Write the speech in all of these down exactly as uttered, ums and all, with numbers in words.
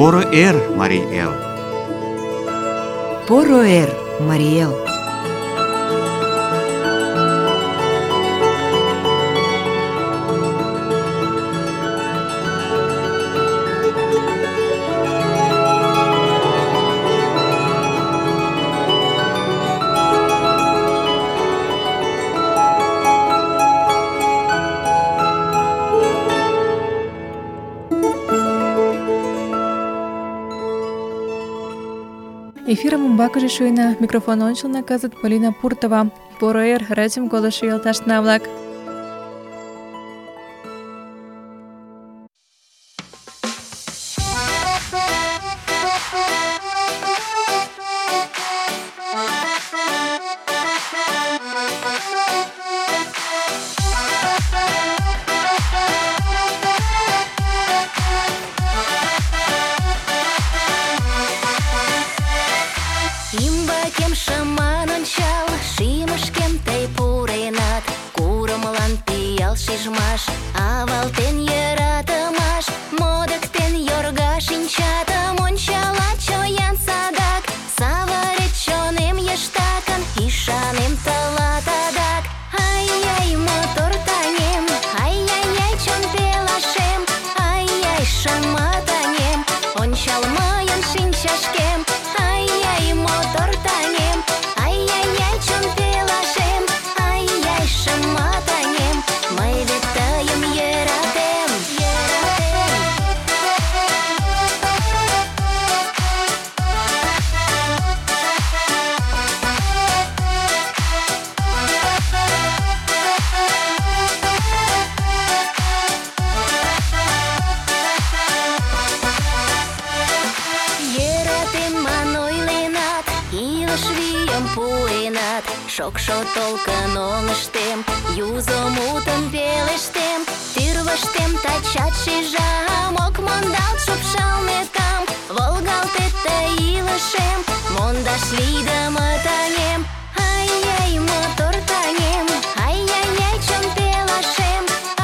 Поро эр, Марий Эл! Поро эр, Марий Эл! Эфирым умбакыже шуйна. Микрофон ончылно кызыт Полина Пуртова. Поро эр, радиом колышо йолташна-влак. Ӱмбакем шыман ончал, шӱмышкем тый пуренат. Курымлан пиал шижмаш, авалтен йӧратымаш, модыктен йорга шинчатым, ончалат чоян садак. Савырет чонем йыштакын, ӱшанем тылат адак. Ай-яй, мотор таҥем, ай-яй-яй, чон пелашем, ай-яй, шыма таҥем, ончал мыйын шинчашкем. Ай-яй, мотор таҥем, ай-яй-яй, чон пелашем, ай-яй, шыма таҥем, мый вет тыйым йӧратем, йӧратем. Йӧратем ман ойленат, илыш вийым пуэнат. Шокшо толкын оҥыштем, юзо мутым пелештем. Тӱрвыштем тачат шижам, ок мондалт шупшалметым. Волгалтет тый илышем, мондаш лийдыме таҥем. Ай-яй, мотор таҥем, ай-яй-яй, чон пелашем,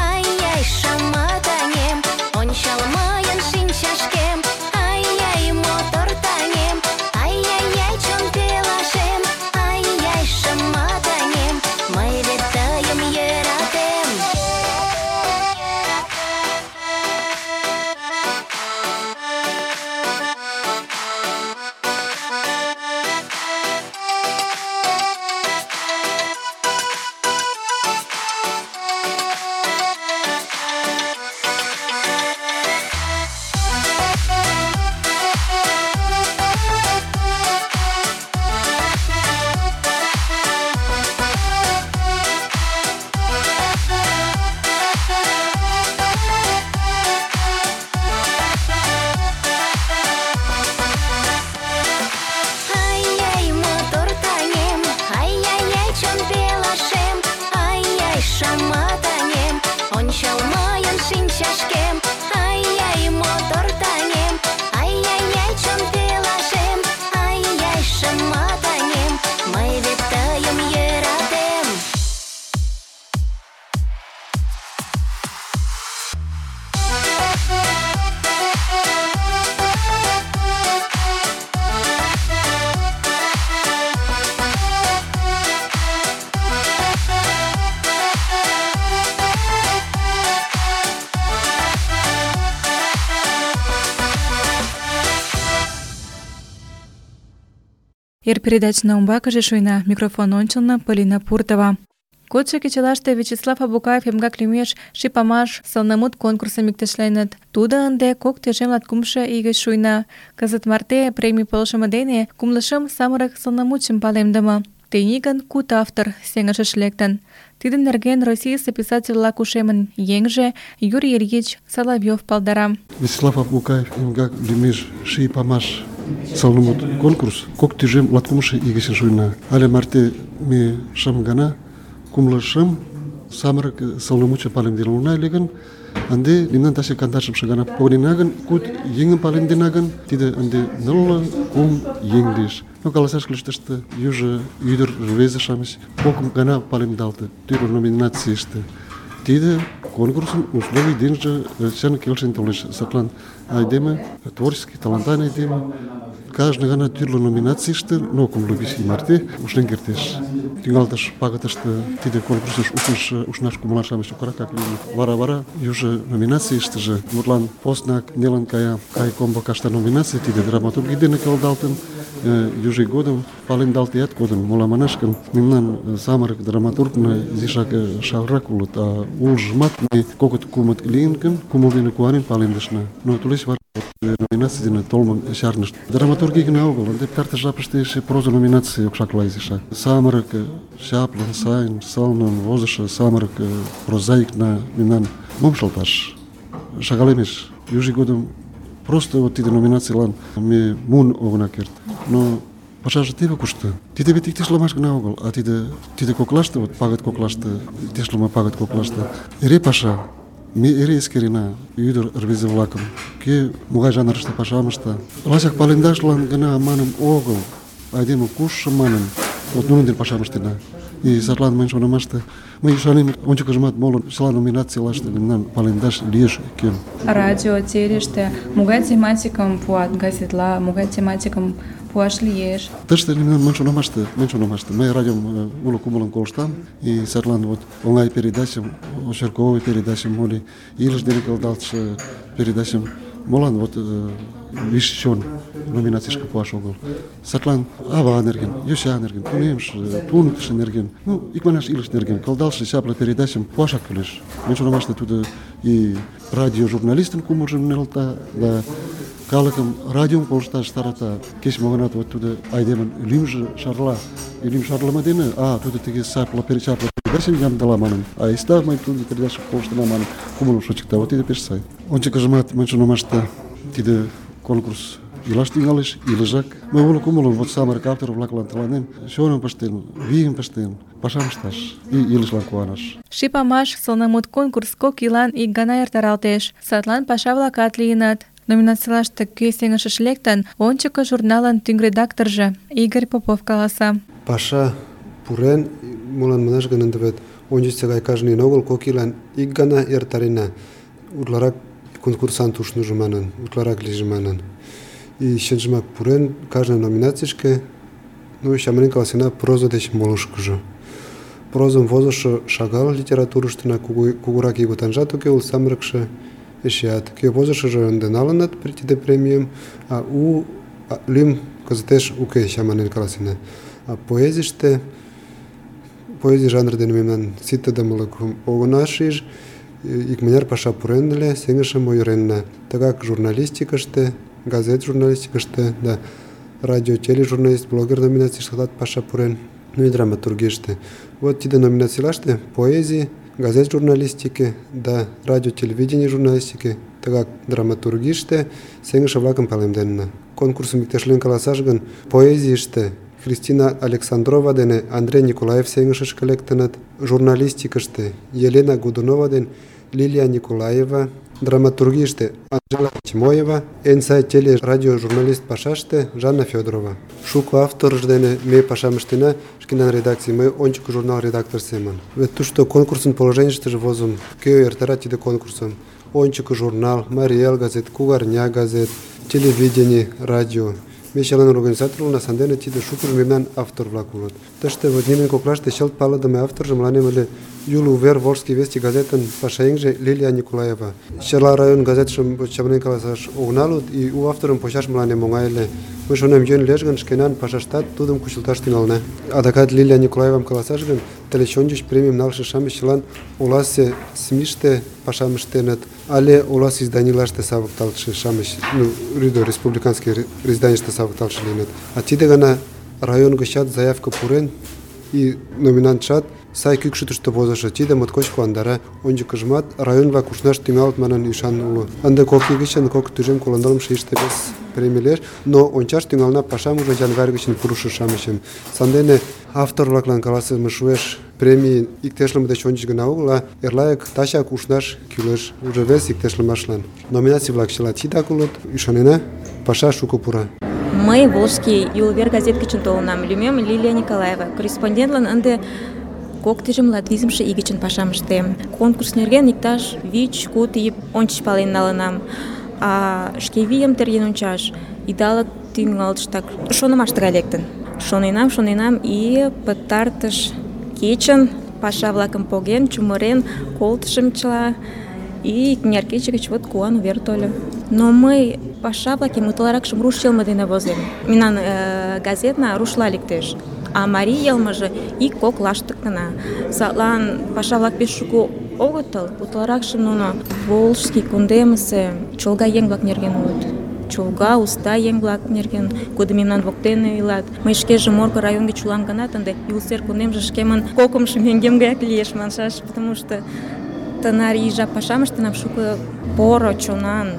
ай-яй, шыма таҥем, ончал мыйын шинчашкем. Ай-яй, мотор таҥем, ай-яй-яй, чон пелашем, ай-яй, шыма таҥем, мый вет тыйым йӧратем. Ай-яй, мотор таҥем, ай-яй-яй, чон пелашем, ай-яй, шыма таҥем, ончал мыйын шинчашкем. Ай-яй, мотор таҥем, ай-яй-яй, чон пелашем, ай-яй, шыма таҥем, мый вет тыйым йӧратем. Эр передачна умбакыже шуйна. Микрофон ончылно Полина Пуртова. Кодшо кечылаште Вячеслав Абукаев эмгак лӱмеш шипамаш сылнымут конкурсым иктешленыт. Тудо ынде кок тӱжем латкумшо ий гыч шуйна. Кызыт марте премий полшымо дене кумлышым самырык сылнымутшым палемдыме. Тений гын куд автор сеҥышыш лектын. Тидын нерген Российысе писатель-влак ушемын еҥже Юрий Ильич Соловьев палдара. Вячеслав Абукаев эмгак лӱмеш шипамаш сылнымут конкурс кок тӱжем латкумшо ий гыч шуйна. Але марте ме шым гана кумлышым самырык сылнымутшым палемден улына ыле гын, ынде мемнан таче кандашымше гана погынена гын, куд еҥым палемдена гын, тиде ынде нылле кум еҥ лиеш. Но каласаш кӱлеш, тыште южо ӱдыр рвезе-шамыч кок гана палемдалте тӱрлӧ номинацийыште. Тиде конкурсын условий деньги чын келшен толеш. Садлан айдеме, творческий, талантан айдеме, каждый гана тӱрлӧ номинацийыште, но кумло вич ий марте ушлен кертеш. Тӱҥалтыш пагытыште тиде конкурсыш ушныш ушнаш кумылан-шамыч чокракак лийыныт. Вара-вара южо номинацийыштыже, мутлан поснак нелын кая кайкомбо кашта номинаций, тиде драматургий дене келдалтын, южо ий годым палемдалтият кодын. Молан манаш гын, мемнан самырык драматургна изишак шагалрак улыт, а улжымат ме кокыт-кумыт лийын гын, кумыл дене куанен палемдышна. Но тулеч вара номинаций дене толмым чарнышт. Драматургий гына огыл, ынде пытартыш жапыште эше проза номинаций окшакла изишак. Самырык, чаплын, сайын, сылнын возышо самырык прозаикна мемнан мом шылташ? Шагал эмес. Южо ий годым просто вот тиде номинацийлан ме муын огына керт. Но пашаже теве кушто. Тиде вет иктешлымаш гына огыл, а тиде тиде коклаште, вот пагыт коклаште, иктешлыме пагыт коклаште эре паша. Ме эре эскерена ӱдыр рвезе-влакым, кӧ могай жанрыште пашам ышта. Лачак палемдашлан гына манын огыл, айдеме кушшо манын, вот нунын дене пашам ыштена. И садлан мыйын шонымаште, мый ӱшанем, ончыкыжымат моло чыла номинацийлаште мемнан палемдаш лиеш кӧм. Радио, телеште могай тематикым пуат газетла, могай тематикым пуаш лиеш? Тыште мемнан мыйын шонымаште, мыйын шонымаште, мый радиом уло кумылым колыштам, и садлан вот оҥай передачым, очерковой передачым, моли илыш дене келдалтше передачым молан вот виш чон номинацийышке пуаш огыл. Садлан ава нерген, йоча нерген, тунемше, туныктышо нерген, ну, икманаш илыш нерген келдалтше чапле передачым пуашак кӱлеш. Мыйын шонымаште тудо и радиожурналистын кумылжым нӧлта, да калыкым радиом колышташ тарата. Кеч-мо гынат вот тудо айдемын лӱмжӧ шарла. И лӱм шарлыме дене, а тудо тыге чапле передачым ямдыла манын, а айста мый тудо передачым колыштына манын кумылым шочыкта. Вот тиде пеш сай. Ончыкыжымат мыйын шонымаште тиде конкурс илаш тӱҥалеш, илыжак. Мый уло кумылым вот самырык автор-влаклан тыланем чоным пыштен, вийым пыштен, пашам ышташ и илышлан куанаш. Ший памаш сылнымут конкурс кок ийлан ик гана эртаралтеш. Садлан паша-влакат лийыныт. Номинацийлаште кӧ сеҥышыш лектын, ончыко журналын тӱҥ редакторжо Игорь Попов каласа. Паша пурен, молан манаш гын, ынде вет ончычсо гай кажне ийын огыл, кок ийлан ик гана эртарена. Утларак конкурсант ушныжо манын, утларак лийже манын. И чынжымак пурен, кажне номинацийышке, ну, чаманен каласена проза деч молышкыжо. Прозым возышо шагал литературыштына, кугурак ийготанжат уке уло, самырыкше эшеат. Кӧ возышыжо ынде налыныт тиде премийым, а у лӱм кызытеш уке, чаманен каласена. А поэзийыште, поэзий жанр дене мемнан ситыдымылыкым огына шиж, икмыняр паша пурен ыле, сеҥышым ойыренна. Тыгак журналистикыште, газет журналистикыште, да радио, тележурналист, блогер номинацийыштат паша пурен, ну и драматургийыште. Вот тиде номинацийлаште поэзий, газет журналистике, да радио, телевидение журналистике, тыгак драматургийыште сеҥыше-влакым палемденна. Конкурсым иктешлен каласаш гын, поэзийыште Кристина Александрова дене Андрей Николаев сеҥышышке лектыныт, журналистикыште Елена Годунова ден Лилия Николаева, драматургийыште Анжела Тимоева, эн сай теле-радио журналист пашаште Жанна Федорова. Шуко авторыж дене ме пашам ыштена, шкенан редакций, мый ончыко журнал редактор семын. Вет тушто конкурсын положенийыштыже возым, кӧ эртара тиде конкурсым. Ончыко журнал, Марий Эл газет, Кугарня газет, телевидение, радио. Ме чылан организатор улына, сандене тиде шукыжо мемнан автор-влак улыт. Тыште вот нунын коклаште чылт палыдыме авторжо мыланем ыле Юл увер Волжский вести газетын пашаеҥже Лилия Николаева. Чыла район газетшым чаманен каласаш огына луд, и у авторым почаш мыланем оҥай ыле. Мый шонем, йӧн лиеш гын, шкенан пашаштат тудым кучылташ тӱҥалына. Адакат Лилия Николаевам каласаш гын, тылеч ончыч премийым налше-шамыч чылан оласе СМИште пашам ыштеныт, але оласе изданийлаште савыкталтше-шамыч, ну, рӱдӧ республиканский изданийыште савыкталтше лийыныт. А тиде гана район гычат заявка пурен, и номинантшат сай кӱкшытыштӧ возышо. Тиде моткоч куандара. Ончыкыжымат район-влак ушнаш тӱҥалыт манын ӱшан уло. Ынде кок ий гычын кок тӱжем коло нылымше ийыште вес премий лиеш, но ончаш тӱҥалына пашам уже январь гычын пурышо-шамычым. Сандене автор-влаклан каласыме шуэш, премий иктешлыме деч ончыч гына огыл, а эрлайык тачак ушнаш кӱлеш, уже вес иктешлымашлан. Номинаций-влак чыла тидак улыт, ӱшанена, паша шуко пура. Мый Волжский Юл увер газет гычын толынам. Лӱмем Лилия Николаева. Корреспондентлан ынде Коктыжым латвизымше ий гычын пашам ыштем. Конкурс нерген иктаж вич-куд ий ончыч пален налынам. А шке вийым терген ончаш идалык тӱҥалтыштак шонымаш тыгай лектын. Шоненам, шоненам и пытартыш кечын паша-влакым поген, чумырен, колтышым чыла. И икмыняр кече гыч вот куан увер тольо. Но мый паша-влакым утларакшым руш йылме дене возем. Мемнан э, газетна рушла лектеш. А марий йылмыже ик-кок лаштык гына. Садлан паша-влак пеш шуко огытыл, утларакшым нуно Волжский кундемысе чолга еҥ-влак нерген улыт. Чолга, уста еҥ-влак нерген, кудо мемнан воктене илат. Мый шкеже Морко район гыч улам гынат, ынде Юлсер кундемже шкемын кокымшо меҥгем гаяк лиеш маншаш, потому что тынар ий жап пашам ыштенам, шуко поро чонан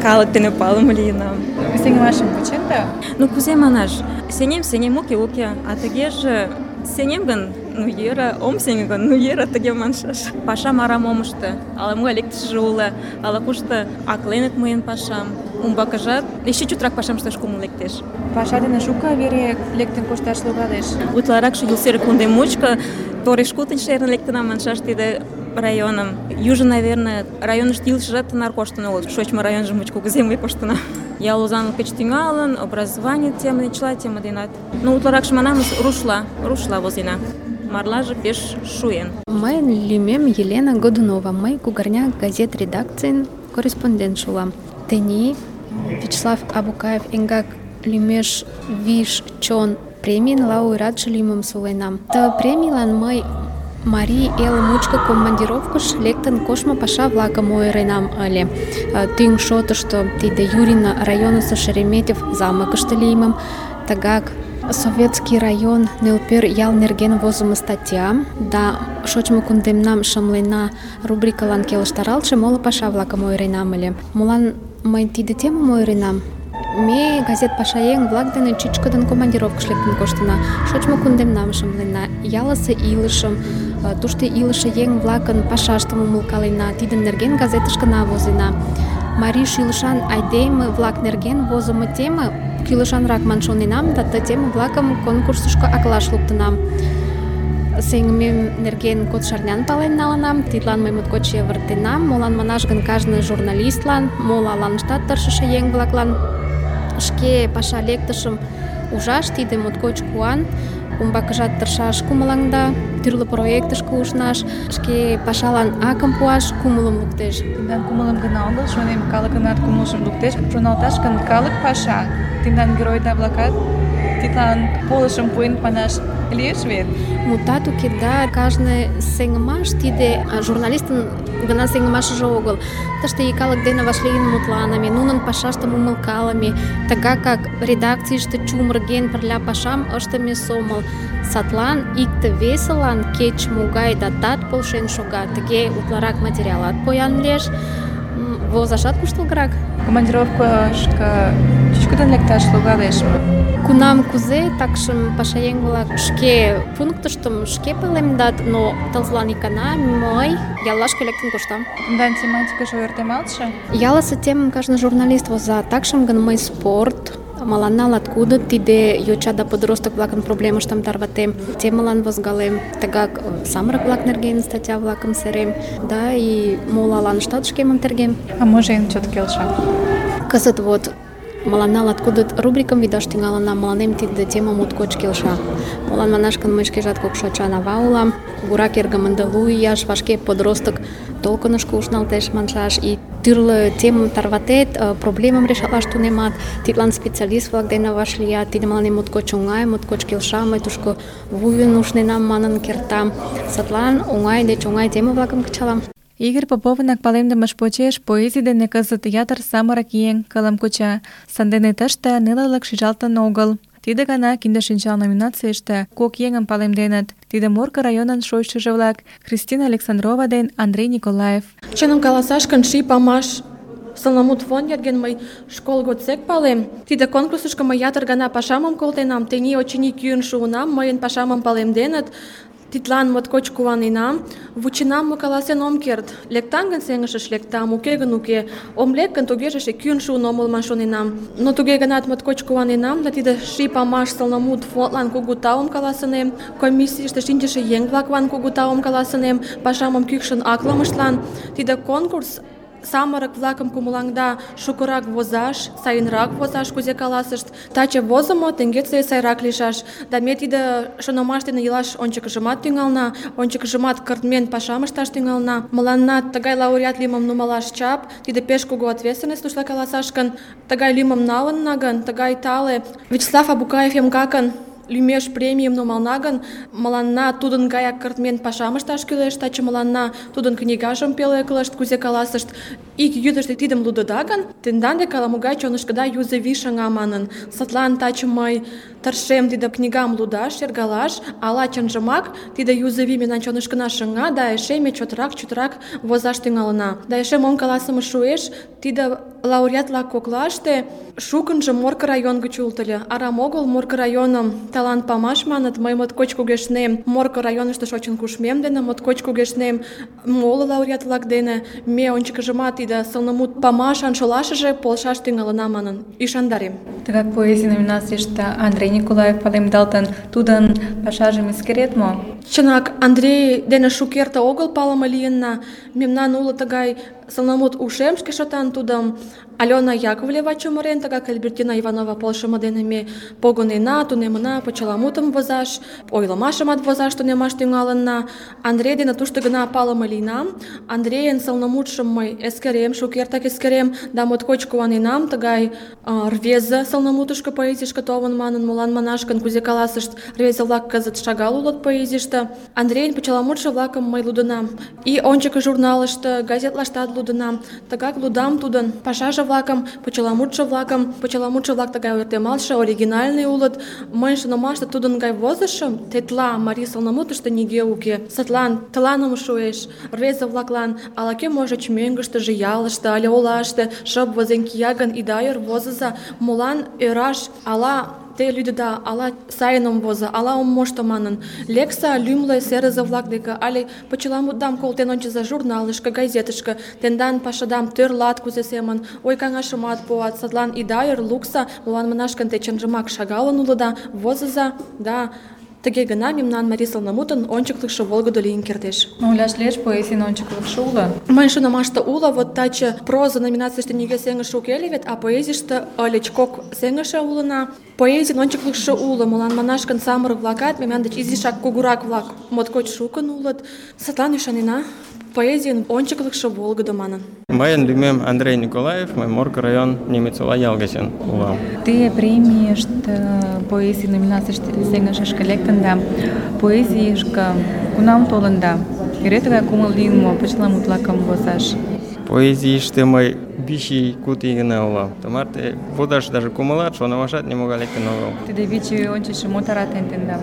калык дене палыме лийынам. Сеҥымашым кучен да? Ну, кузе манаш, сеҥем, сеҥем, уке, уке, а тыгеже сеҥем гын, ну йӧра, ом сеҥе гын, ну йӧра, тыге маншаш. Пашам арам ом ыште, ала-могай лектышыже уло, ала-кушто акленыт мыйын пашам. Умбакыжат эше чотрак пашам ышташ кумыл лектеш. Паша дене шуко вере лектын кошташ логалеш. Утларакше Юлсер кундем мучко тореш-кутынь шерын лектынам маншаш тиде районым. Южо, наверное, районышто илышыжат тынар коштын огыл. Шочмо районжо мучко кузе мый коштынам. Ял озанлык гыч тӱҥалын, образование тема, чыла тема денат. Ну, утларакше манам, рушла, рушла возена. Марлаже пеш шуен. Мыйын лӱмем Елена Годунова. Мый Кугарня газет редакцийын корреспондент улам. Тений Вячеслав Абукаев эҥгак лӱмеш «Виш чон» премийын лауреатше лӱмым суленам. Ты премийлан мый марий эл мучко командировкыш лектын коштмо паша-влакым ойыренам ыле. Тӱҥ шотышто тиде Юрина районысо Шереметьев замокышто лиймым, тыгак Советский район Нӧлпер ял нерген возымо статьям да шочмо кундемнам шымлена рубрикылан келыштаралтше моло паша-влакым ойыренам ыле. Молан мый тиде темым ойыренам? Ме газет пашаеҥ-влак дене чӱчкыдын командировкыш лектын коштына, шочмо кундемнам шымлена, ялысе илышым, тушто илыше еҥ-влакын пашаштым умылкалена, тидын нерген газетышкына возена. Марий шӱлышан айдеме-влак нерген возымо теме кӱлешанрак ман шоненам да ты теме-влакым конкурсышко аклаш луктынам. Сеҥымем нерген код шарнян пален налынам, тидлан мый моткоч йывыртенам. Молан манаш гын, кажне журналистлан, моло аланыштат тыршыше еҥ-влаклан шке паша лектышым ужаш тиде моткоч куан, умбакыжат тыршаш кумылаҥда, тӱрлӧ проектышке ушнаш, шке пашалан акым пуаш кумылым луктеш. Тендан кумылым гына огыл, шонем, калыкынат кумылжым луктеш. Шоналташ гын, калык паша, тендан геройда-влакат тидлан полышым пуэн манаш лиеш вет? Мутат уке, да, кажне сеҥымаш тиде журналистын гына сеҥымашыже огыл. Тыште ик калык дене вашлийын мутланыме, нунын пашаштым умылкалыме, тыгакак редакцийыште чумырген пырля пашам ыштыме сомыл. Садлан икте-весылан кеч-могай датат полшен шога, тыге утларак материалат поян лиеш, возашат куштылгырак. Командировкышко чӱчкыдын лекташ логалеш мо? Кунам кузе, такшым пашаеҥ-влак шке пунктыштым шке палемдат, но тылзылан икана мый яллашке лектын коштам. Тендан тематикыже ойыртемалтше? Ялысе темым кажне журналист воза, такшым гын мый спорт, мыланна латкудо тиде йоча да подросток-влакын проблемыштым тарватем, темылан возгалем, тыгак самырык-влак нерген статья-влакым серем, да и моло аланыштат шкемым тергем. А може эн чот келша? Кызыт вот мыланна латкудыт рубрикым видаш тӱҥалына, мыланем тиде тема моткоч келша. Молан манаш гын, мый шкежат кок шочан ава улам, кугурак эргым ынде лу ияш, вашке подросток толкынышко ушналтеш маншаш, и тӱрлӧ темым тарватет, проблемым решатлаш тунемат, тидлан специалист-влак дене вашлият, тиде мыланем моткоч оҥай, моткоч келша, мый тушко вуйын ушненам манын кертам. Садлан оҥай деч оҥай теме-влакым кычалам. Игорь Поповынак палемдымыж почеш поэзий дене кызыт ятыр самырык еҥ кылым куча, сандене тыште нелылык шижалтын огыл. Тиде гана кинде шинчал номинацийыште кок еҥым палемденыт. Тиде Морко районын шочшыжо-влак Кристина Александрова ден Андрей Николаев. Чыным каласаш гын, ший памаш сылнымут фонд нерген мый школ годсек палем. Тиде конкурсышко мый ятыр гана пашамым колтенам. Тений, очыни, кӱын шуынам, мыйын пашамым палемденыт. Тидлан моткоч куаненам, вученам мо каласен ом керт. Лектам гын сеҥышыш лектам, уке гын уке. Ом лек гын тугеже эше кӱын шуын омыл ман шоненам. Но туге гынат моткоч куаненам да тиде ший памаш сылнымут фондлан кугу таум каласынем, комиссийыште шинчыше еҥ-влаклан кугу таум каласынем, пашамым кӱкшын аклымыштлан. Тиде конкурс самырык-влакым кумылаҥда шукырак возаш, сайынрак возаш, кузе каласышт. Таче возымо, теҥгечсе сайрак лийшаш. Да ме тиде шонымаш дене илаш ончыкыжымат тӱҥална, ончыкыжымат кыртмен пашам ышташ тӱҥална. Мыланна тыгай лауреат лӱмым нумалаш чап, тиде пеш кугу ответственность тушла каласаш гын, тыгай лӱмым налынна гын, тыгай тале. Вячеслав Абукаев МКакын лӱмеш премийым нумална гын, мыланна тудын гаяк кыртмен пашам ышташ кӱлеш, таче мыланна тудын книгажым пӧлеклышт, кузе каласышт. Ик йӱдыштӧ тидым лудыда гын, тендан дек ала-могай чонышкыда юзо вий шыҥа манын. Садлан таче мый тыршем тиде книгам лудаш, шергалаш, ала чынжымак тиде юзо вий мемнан чонышкына шыҥа да эше ме чотрак-чотрак возаш тӱҥалына. Да эше мом каласыме шуэш, тиде лауреат-влак коклаште шукынжо Морко район гыч улыт ыле. Арам огыл Морко районым талант памаш маныт. Мый моткоч кугешнем Морко районышто шочын кушмем дене, моткоч кугешнем моло лауреат-влак дене. Ме ончыкыжымат тиде сылнымут памашан шолашыже полшаш тӱҥалына манын ӱшандарем. Тыгак поэзий номинацийыште Андрей Николаев палемдалтын, тудын пашажым эскерет мо? Чынак, Андрей дене шукерте огыл палыме лийынна. Мемнан уло тыгай сылнымут ушем шке шотан тудым Алена Яковлева чумырен, тыгак Альбертина Иванова полшымо дене ме погынена, тунемына почеламутым возаш, ойлымашымат возаш тунемаш тӱҥалынна. Андрей дене тушто гына палыме лийнам. Андрейын сылнымутшым мый эскерем, шукертак эскерем, да моткоч куаненам тыгай э, рвезе сылнымутышко, поэзийышке толын манын. Молан манаш гын, кузе каласышт, рвезе-влак кызыт шагал улыт поэзийыште. Андрейын почеламутшо-влакым мый лудынам. И ончыко журналыште, газетлаштат лудынам. Тыгак лудам тудын пашаже-влакым, почеламутшо-влакым. Почеламутшо-влак тыгай ойыртемалтше, оригинальный улыт. Мыйын шонымаште тудын гай возышым тетла марий сылнымутышто нигӧ уке. Садлан тыланым шуэш. Рвезе-влаклан ала-кӧ можыч мӧҥгыштыжӧ, ялыште але олаште шып возен кия гын, ида ӧр, возыза. Молан ӧраш? Ала те лӱдыда, ала сайын ом возо, ала ом мошто манын. Лекса лӱмлӧ серызе-влак деке але почеламутдам колтен ончыза журналышке, газетышке. Тендан пашадам тӧрлат кузе семын, ой-каҥашымат пуат. Садлан ида ӧр, лукса. Молан манаш гын, те чынжымак шагалын улыда, возыза, да тыге гына мемнан марий сылнымутын ончыклыкшо волгыдо лийын кертеш. Ойлаш лиеш, поэзийын ончыклыкшо уло? Мыйын шонымаште уло. Вот таче проза номинацийыште нигӧ сеҥыше уке ыле вет, а поэзийыште ыльыч кок сеҥыше улына. Поэзийын ончыклыкшо уло. Молан манаш гын, самырык-влакат мемнан деч изишак кугурак-влак моткоч шукын улыт. Садлан ӱшанена, поэзийын ончыклыкшо волгыдо манын. Мыйын лӱмем Андрей Николаев, мый Морко район Немецола ял гычын улам. Те премийыште поэзий номинацийыште сеҥышышке лектын да поэзийышке кунам толында? Эре тыгай кумыл лийын мо почеламут-влакым возаш? Поэзийыште мый вич ий, куд ий гына улам. Тымарте возаш даже кумылат, шонымашат нимогай лектын огыл. Тиде вич ий ончычшо мо таратен тендам?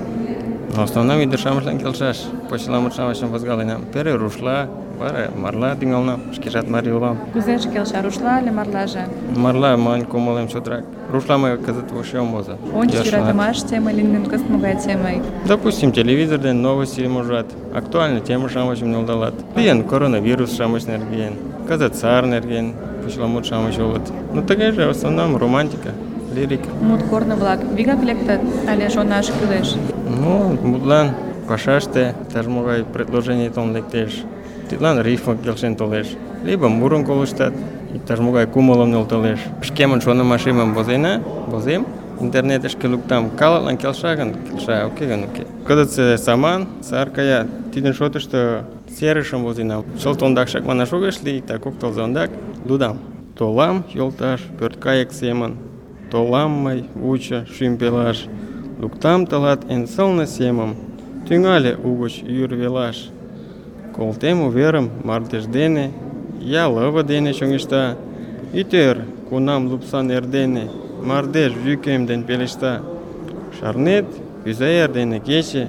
В основном ӱдыр-шамычлан келшаш, почеламут-шамычым возгаленам. Пере рушла, вара марла тӱҥалынам, шкежат марий улам. Кузеже келша, рушла але марлаже? Марла мыйын кумылем чотрак. Рушла мый кызыт вообще ом возо. Ончыч йӧратымаш тема лийын, кызыт могай тема? Допустим, телевизор ден новостьым ужат, актуальный тема-шамычым нӧлдалат. Лийын коронавирус-шамыч нерген, кызыт сар нерген почеламут-шамыч улыт. Ну тыгайже в основном романтика, лирика. Мут корно-влак вигак лектыт але шонаш кӱлеш? Ну, мутлан пашаште иктаж-могай предложений толын лектеш. Тидлан рифма келшен толеш. Либо мурым колыштат, иктаж-могай кумылым нӧлталеш. Шкемын шонымашемым возена, возем, интернетышке луктам. Калыклан келша гын, келша, уке гын, уке. Кызытсе саман, сар кая, тидын шотышто серышым возенам. Чылт ондакшак манаш огеш лий, так кок тылзе ондак лудам. Толам, йолташ, пӧрткайык семын. Толам мый, вучо, шӱм пелаш. Луктам тылат эн сылне семым, тӱҥале угыч йӱр велаш. Колтем уверым мардеж дене, я лыве дене чоҥешта. Ит ӧр, кунам лупсан эрдене, мардеж йӱкем ден пелешта. Шарнет, кӱза эрдене кече,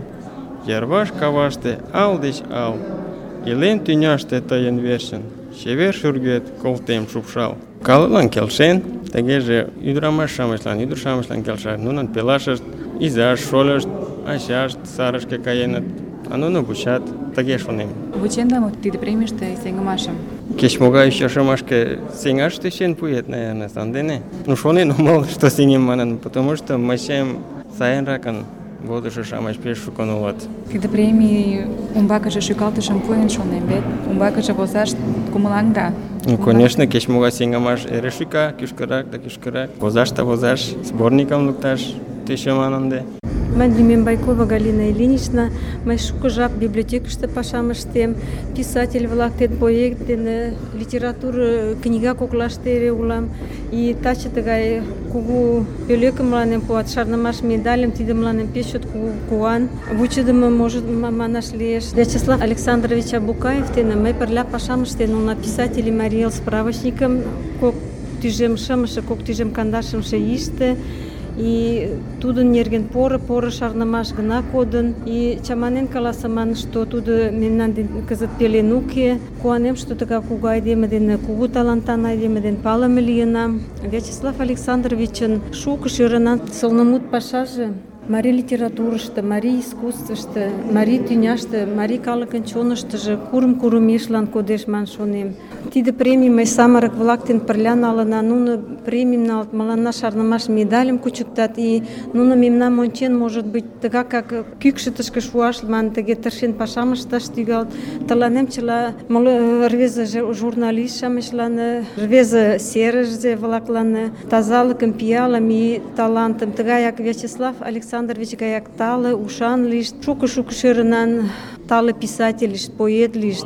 йырваш каваште ал деч ал. Илен тӱняште тыйын верчын, чевер шӱргет колтем шупшал. Калыклан келшен, тыгеже ӱдырамаш-шамычлан, ӱдыр-шамычлан келша. Нунын пелашышт, изашт, шольышт, ачашт сарышке каеныт. а нуно вучат, тыге шонем. Вученда мо тиде премийыште сеҥымашым? Кеч-могай ӱчашымашке сеҥаш тӧчен пуэт, наверное, сандене. Ну, шонен омыл, что сеҥем манын, потому что мыйсем сайынракын водышо-шамыч пеш шукын улыт. Тиде премий умбакыже шӱкалтышым пуэн, шонем, вет умбакыже возаш кумылаҥда. Ну, конечно, кеч-могай сеҥымаш эре шӱка, кӱшкырак да кӱшкырак. Возаш да возаш, сборникым лукташ тӧчыман ынде. Мый лӱмем Байкова Галина Ильинична, мый шуко жап библиотекыште пашам ыштем, писатель-влак ден поэт дене литература книга коклаште эре улам. И таче тыгай кугу пӧлекым мыланем пуат, шарнымаш медальым, тиде мыланем пеш чот кугу куан. Вучыдымо, может, манаш лиеш. Вячеслав Александрович Абукаев дене мый пырля пашам ыштен улна, писатель и Марий Эл справочникым кок тӱжем шымше, кок тӱжем кандашымше ийыште. И тудын нерген поро-поро шарнымаш гына кодын. И чаманен каласыман, что тудо мемнан ден кызыт пелен уке. Куанем, что тыгай кугу айдеме дене, кугу талантан айдеме дене палыме лийынам. Вячеслав Александровичын шуко шӧрынан сылнымут пашаже марий литературышто, марий искусствышто, марий тӱняште, марий калыкын чоныштыжо курым-курым ешлан кодеш ман шонем. Тиде премий мый самырык-влак дене пырля налына. Нуно премийым налыт, мыланна шарнымаш медальым кучыктат. И нуно мемнам ончен, может быть, тыгак как кӱкшытышкӧ шуаш манын, тыге тыршен пашам ышташ тӱҥалыт. Тыланем чыла моло рвезе журналист-шамычлан, рвезе серыше-влаклан тазалыкым, пиалым и талантым, тыгаяк Вячеслав Александрович гаяк тале, ушан лийышт, шуко-шуко шӧрынан тале писатель лийышт, поэт лийышт,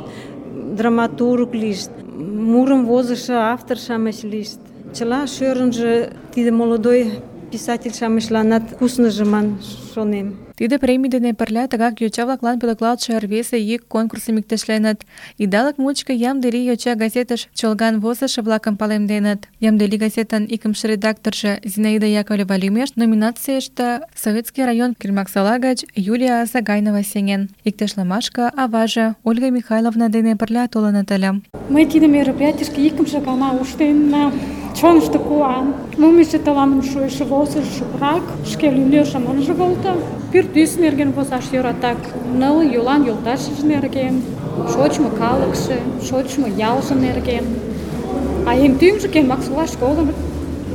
драматург лийышт, мурым возышо автор-шамыч лийышт. Чыла шӧрынжӧ тиде молодой писатель-шамычланат кусныжо ман шонем. Тиде премий дене пырля тыгак йоча-влаклан пӧлеклалтше рвезе йӱк конкурсым иктешленыт. Идалык мучко Ямдели йоча газетыш чолган возышо-влакым палемденыт. Ямдели газетын икымше редакторжо Зинаида Яковлева лӱмеш номинацийыште Советский район Кельмаксола гыч Юлия Сагайнова сеҥен. Иктешлымашке аваже Ольга Михайловна дене пырля толыныт ыле. Мый тиде мероприятийышке икымше гана ушненна. Чонышто куан. Мумиже таланым шуэш возыш шукрак, шке лӱмлӧшым ынже волто. Пӱртӱс нерген возаш йӧратак. Ныл йолан йолташыж нерген, шочмо калыкше, шочмо ялже нерген. А эн тӱҥжӧ Кельмаксола школын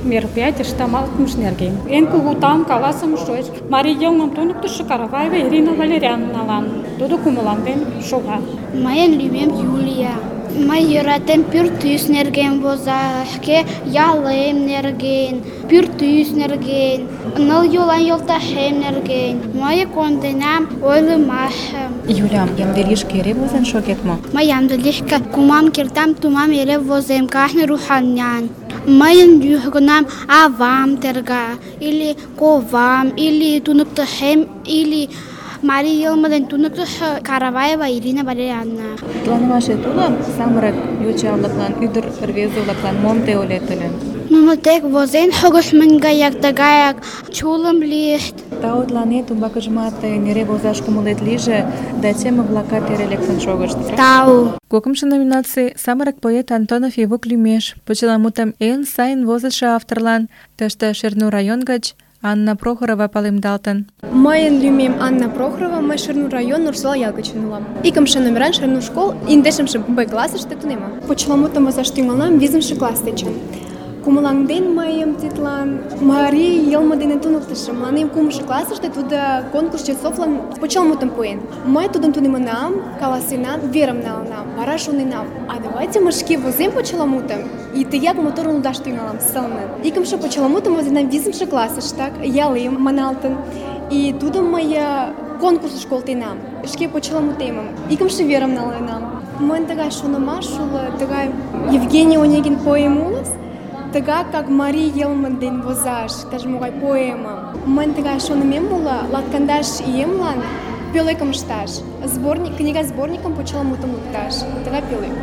мероприятийыш тамалтымыж нерген. Эн кугу таум каласыме шуэш. Марий йылмым туныктышо Караваева Ирина Валерьяновналан. Тудо кумылаҥден шога. Мыйын лӱмем Юлия. Мый йӧратем пӱртӱс нерген возаш, шке ялем нерген, пӱртӱс нерген, ныл йолан йолташем нерген. Мый конденам ойлымашым. Юля, Ямделишке эре возен шогет мо? Мый Ямделишке кумам кертам, тумам эре возем, кажне руханян. Мыйын южгунам авам терга, или ковам, или туныктышем, или Марий йылме дене туныктышо Караваева Ирина Валерьяновна. Планымашет уло самырык йоча-влаклан, ӱдыр рвезе-влаклан мом те ойлет ыле? Нуно тек возен шогышмын гаяк тыгаяк чулым лийышт. Таутланет умбакыжымат тыйын эре возаш кумылет лийже, да теме-влакат эре лектын шогышт. Тау. Кокымшо номинаций самырык поэт Антонов Ивук лӱмеш. Почеламутым эн сайын возышо авторлан тыште Шернур район гыч Анна Прохорова палемдалтын. Мыйын лӱмем Анна Прохорова, мый Шернур район Нурсола ял гычын улам. Икымше номеран Шернур школ индешымше Б классыште тунемам. Почеламутым возаш тӱҥалынам визымше класс дечын. Кумылаҥден мыйым тидлан марий йылме дене туныктышо. Мыланем кумшо классыште тудо конкурс часовлан почеламутым пуэн. Мый тудым тунемынам, каласенам, верым налынам. Вара шоненам, а давайте мый шке возем почеламутым. И тыяк моторын лудаш тӱҥалам, сылне. Икымше почеламутым возенам визымше классыштак, ялем маналтын. И тудым мый конкурсыш колтенам, шке почеламутемым, икымше верым налынам. Мыйын тыгай шонымаш уло, тыгай Евгений Онегин поэм улыс, тыгак как марий йылме дене возаш, иктаж-могай поэма. Мыйын тыгай шонымем уло, латкандаш иемлан пӧлекым ышташ, сборник, книга сборникым почеламутым лукташ. Тыгай пӧлек.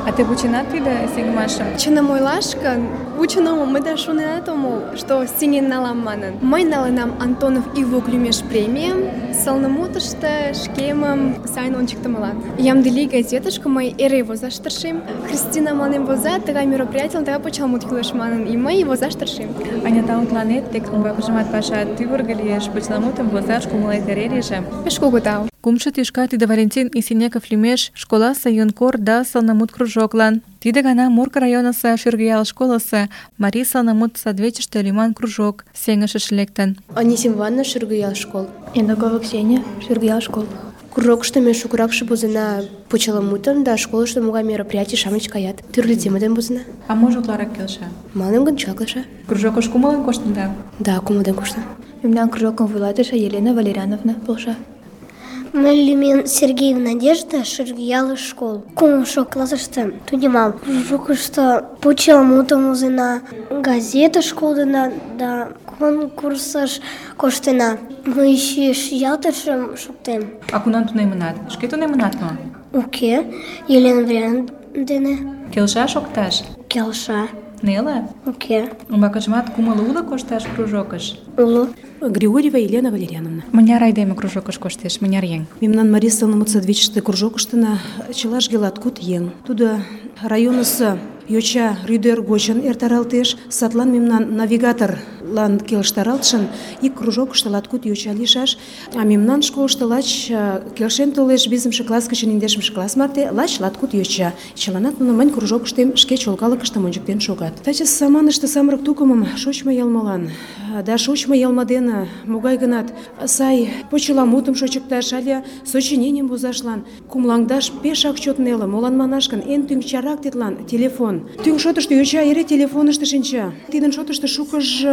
А те вученат тиде сеҥымашым? Чыным ойлаш гын, вучен омыл, мый да шоненат омыл, что сеҥен налам манын. Мый налынам Антонов Ивук лӱмеш премийым, сылнымутышто шкемым сайын ончыктымылан. Ямдыли газетышке мый эре возаш тыршем. Христина мыланем воза, тыгай мероприятийлан тыгай почеламут кӱлеш манын, и мый возаш тыршем. Анята, мутланет, тек умбакыжымат паша тӱвыргӧ лиеш, почеламутым возаш кумылет эре лийже. Пеш кугу тау. Кумшо тӱшка тиде Валентин Исинеков лӱмеш школасе юнкор да сылнымут кружоклан. Тиде гана Морко районысо Шӱргыял школысо Марий сылнымут садвечыште лӱман кружок сеҥышыш лектын. Анисим Ивановна, Шӱргыял школ. Ендакова Ксения, Шӱргыял школ. Кружокышто ме шукыракше возена почеламутым да школышто могай мероприятий-шамыч каят. Тӱрлӧ тема дене возена. А можо утларак келша? Мыланем гын чак келша. Кружокыш кумылын коштында? Да, кумылден коштын. Мемнан кружокым вуйлатыше Елена Валерьяновна полша. Мый лӱмем Сергеева Надежда, Шӱргыял школ. Кумшо классыште тунемам. Кружокышто почеламутым возена, газетыш кодына да конкурсыш коштена. Мый чиш ялтышым шуктем. А кунам тунемынат? Шке тунемынат мо? Уке, Елена Валерьяновна дене. Келша шокташ? Келша. Неле? Уке. Умбакыжымат кумыл уло кошташ кружокыш? Уло. Григорьева Елена Валерьяновна. Мыняр айдеме кружокыш коштеш, мыняр еҥ? Мемнан Марий сылнымут садвечыште кружокыштына чылажге латкуд еҥ. Тудо районысо йоча рӱдер гочын эртаралтеш, садлан мемнан навигаторлан келыштаралтшын ик кружокышто латкуд йоча лийшаш, а мемнан школышто лач келшен толеш визымше класс гычын индешымше класс марте лач латкуд йоча. Чыланат нуно мынь кружокыштем шке чолгалыкыштым ончыктен шогат. Таче саманыште самырык тукымым шочмо йылмылан да шочмо йылме дене могай-гынат сай почеламутым шочыкташ але сочиненийым возашлан кумылаҥдаш пешак чот неле. Молан манаш гын, эн тӱҥ чарак тидлан телефон. Тӱҥ шотышто йоча эре телефонышто шинча. Тидын шотышто шукыж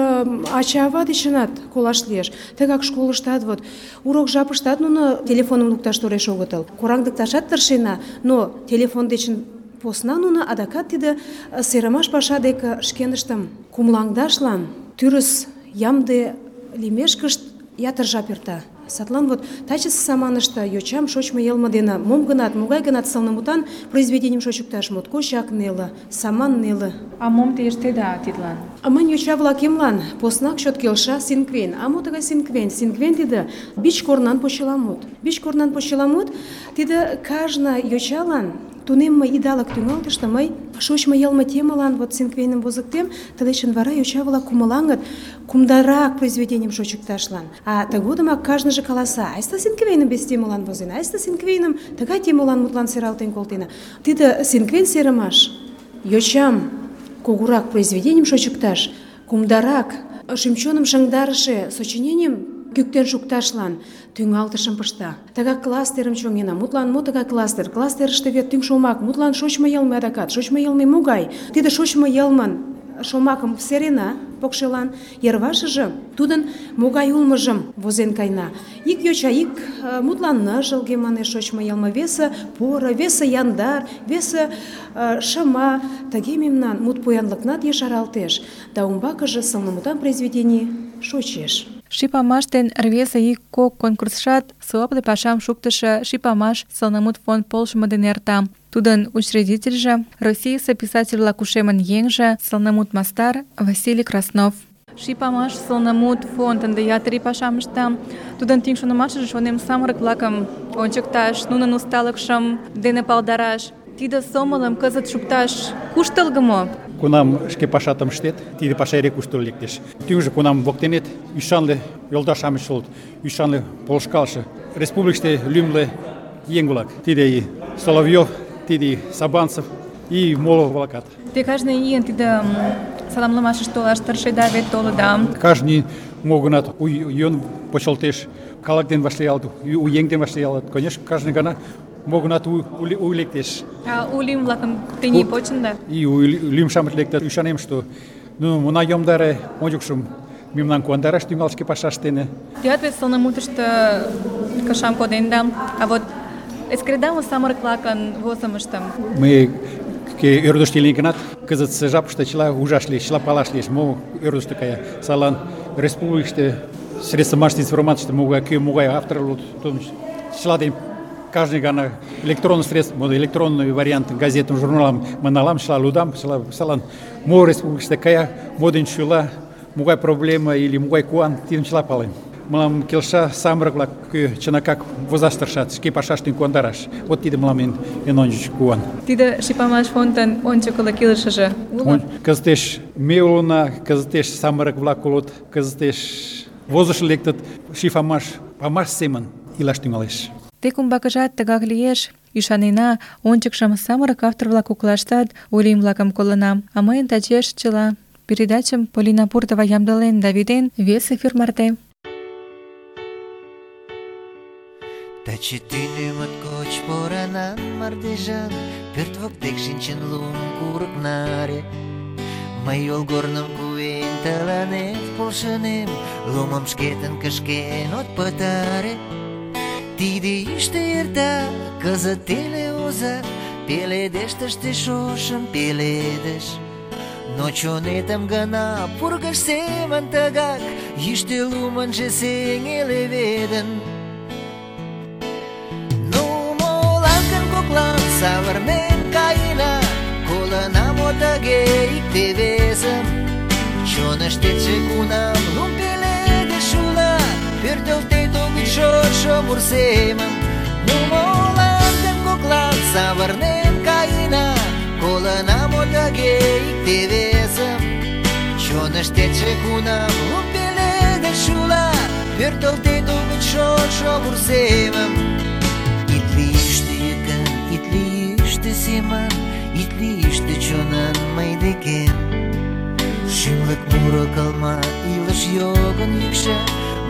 ача-ава дечынат колаш лиеш. Тыгак школыштат вот урок жапыштат нуно телефоным лукташ тореш огытыл. Кораҥдыкташат тыршена, но телефон дечын посна нуно адакат тиде серымаш паша деке шкеныштым кумылаҥдашлан тӱрыс ямде лиймешкышт ятыр жап эрта. Садлан вот тачысе саманыште йочам шочмо йылме дене мом-гынат, могай-гынат сылнымутан произведенийым шочыкташ моткочак неле, саман неле. А мом те ыштеда тидлан? А мынь йоча-влакемлан поснак чот келша синквен. А мо тыгай синквен? Синквен тиде бич корнан почеламут. Бич корнан почеламут тиде кажне йочалан тунемме идалык тӱҥалтыште мый шочмо йылме темылан вот синквейным возыктем, тылечын вара йоча-влак кумылаҥыт кумдарак произведенийым шочыкташлан. А тыгодымак кажныже каласа: айста синквейным вес темылан возена, айста синквейным тыгай темылан мутлан сералтен колтена. Тиде синквен серымаш йочам кугурак произведенийым шочыкташ, кумдарак шӱм-чоным шыҥдарыше сочиненийым кӱктен шукташлан тӱҥалтышым пышта. Тыгак кластерым чоҥена. Мутлан мо тыгай кластер? Кластерыште вет тӱҥ шомак. Мутлан шочмо йылме адакат. Шочмо йылме могай? Тиде шочмо йылмын шомакым серена покшелан, йырвашыже тудын могай улмыжым возен кайна. Ик йоча ик мутлан ныжылге манеш шочмо йылме, весе поро, весе яндар, весе шыма. Тыге мемнан мут поянлыкнат ешаралтеш, да умбакыже сылнымутан произведений шочеш. Шипамаш ден рвезе ик кок конкурсшат сылопле пашам шуктышо Шипамаш сылнымут фонд полшымо дене эрта. Тудын учредительже, Российысе писатель-влак ушемын еҥже, сылнымут мастар Василий Краснов. Шипамаш сылнымут фонд ынде ятыр ий пашам ышта. Тудын тӱҥ шонымашыже, шонем, самырык-влакым ончыкташ, нунын усталыкшым дене палдараш. Тиде сомылым кызыт шукташ куштылго мо? Кунам шке пашатым ыштет, тиде паша эре куштылго лектеш. Тӱҥжӧ кунам воктенет ӱшанле йолташ-шамыч улыт, ӱшанле полышкалыше, республикыште лӱмлӧ еҥ-влак. Тиде и Соловьев, тиде и Сабанцев и моло-влакат. Те кажне ийын тиде саламлымашыш толаш тыршеда вет толыда. Кажне мо-гынат у йӧн почылтеш, калык дене вашлиялыт, у еҥ дене вашлиялыт. Конечно, кажне гана мо-гынат у лектеш. А у лӱм-влакым тений почында? И у лӱм-шамыч лектыт. Ӱшанем, что ну мына йомдаре ончыкшым мемнан куандараш тӱҥал шке пашаштене. Теат вет сылнымутышто кышам коденда, а вот эскереда мо самырык-влакын возымыштым? Мый ӧрдыжтӧ лийын гынат, кызытсе жапыште чыла ужаш лиеш, чыла палаш лиеш, мо ӧрдыжтӧ кая. Садлан республикыште средства массовой информацийыште могай, кӧ могай автор улыт, чыла дене каждый гана электронный средств, электронный вариант газетам, журналам маналам, шла лудам, шла салан, мо республикаште кая, моден чула, мугай проблема или мугай куан, тидым чыла палем. Мылам келша самырык-влак кӧ чынакак возаш тыршат, шке пашаштым куандараш. Вот тиде мылам эн, эн ончыч куан. Тиде Ший-Памаш фондын ончыкылык илышыже уло? Кызытеш ме улына, кызытеш самырык-влак улыт, кызытеш возыш лектыт, Ший-Памаш памаш семын илаш тӱҥалеш. Тек умбакыжат тыгак лиеш. Ӱшанена, ончыкшым самырык автор-влак коклаштат ойлем-влакым колынам, а мыйын тачеш чыла. Передачым Полина Пуртова ямдылен да витен вес эфир марте. Таче тӱнӧ моткоч поранан мардежан, пӧрт воктек шинчын лум курык наре. Мый йолгорным куэн тыланет полшынем, лумым шкетын кышкен от пытаре. Тиде йӱштӧ эрта, кызыт теле оза, пеледеш тыште шошым пеледыш. Но чонетым гына пургыж семын тыгак, йӱштӧ лумынжо сеҥе леведын. Коклан савырнен каена, колына мо тыге икте-весым. Чоныштетше кунам лум пеледыш уло, пӧртылтет огыт шошо мур семым. Ну молан гын коклан савырнен каена, колына мо тыге икте-весым. Чоныштетше кунам лум пеледыш уло, пӧртылтет огыт шошо мур семым. Ит лийыште семан, ит лийыште чонан мый декем. Шӱмлык муро кылма, илыш йогын йӱкшӧ,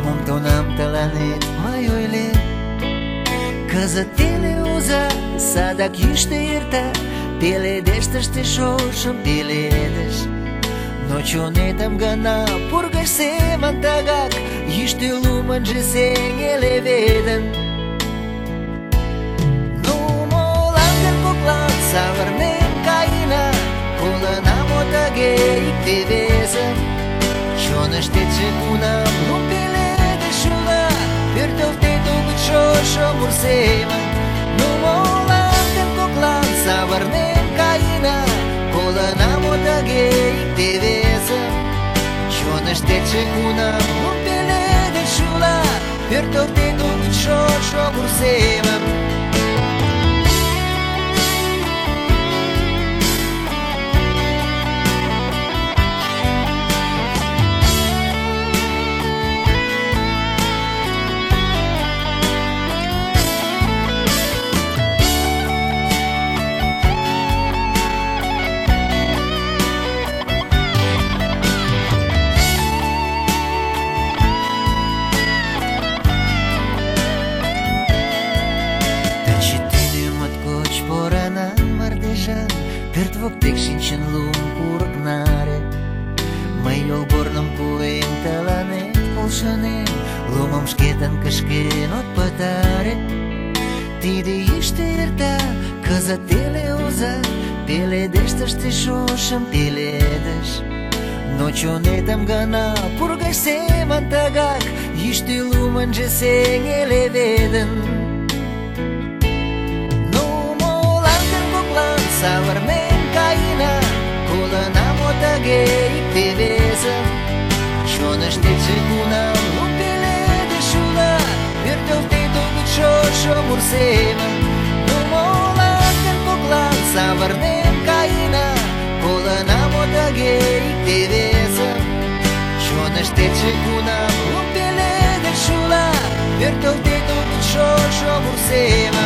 мом тунам тыланет мый ойлем. Кызыт теле оза, садак йӱштӧ эрта, пеледеш тыште шошым пеледыш. Но чонетым гына пургыж семын тыгак, йӱштӧ лумынжо сеҥе леведын. Савырнен каена, колына мо тыге икте-весым. Чоныштетше кунам лум пеледыш уло, пӧртылтет огыт шошо мур семын. Ну молан гын коклан савырнен каена, колына мо тыге икте-весым. Чоныштетше кунам лум пеледыш уло, пӧртылтет огыт шошо мур семын. Пӧрт воктек шинчын лум курык наре. Мый йолгорным куэн тыланет полшынем, лумым шкетын кышкен от пытаре. Тиде йӱштӧ эрта, кызыт теле оза, пеледеш тыште шошым пеледыш. Но чонетым гына пургыж семын тыгак, йӱштӧ лумынжо сеҥе леведын. Ну молан гын коклан савырнен каена, колына мо тыге икте-весым. Чоныштетше кунам лум пеледыш уло, пӧртылтет огыт шошо мур семым. Ну молан гын коклан савырнен каена, колына мо тыге икте-весым. Чоныштетше кунам лум пеледыш уло, пӧртылтет огыт шошо мур семым.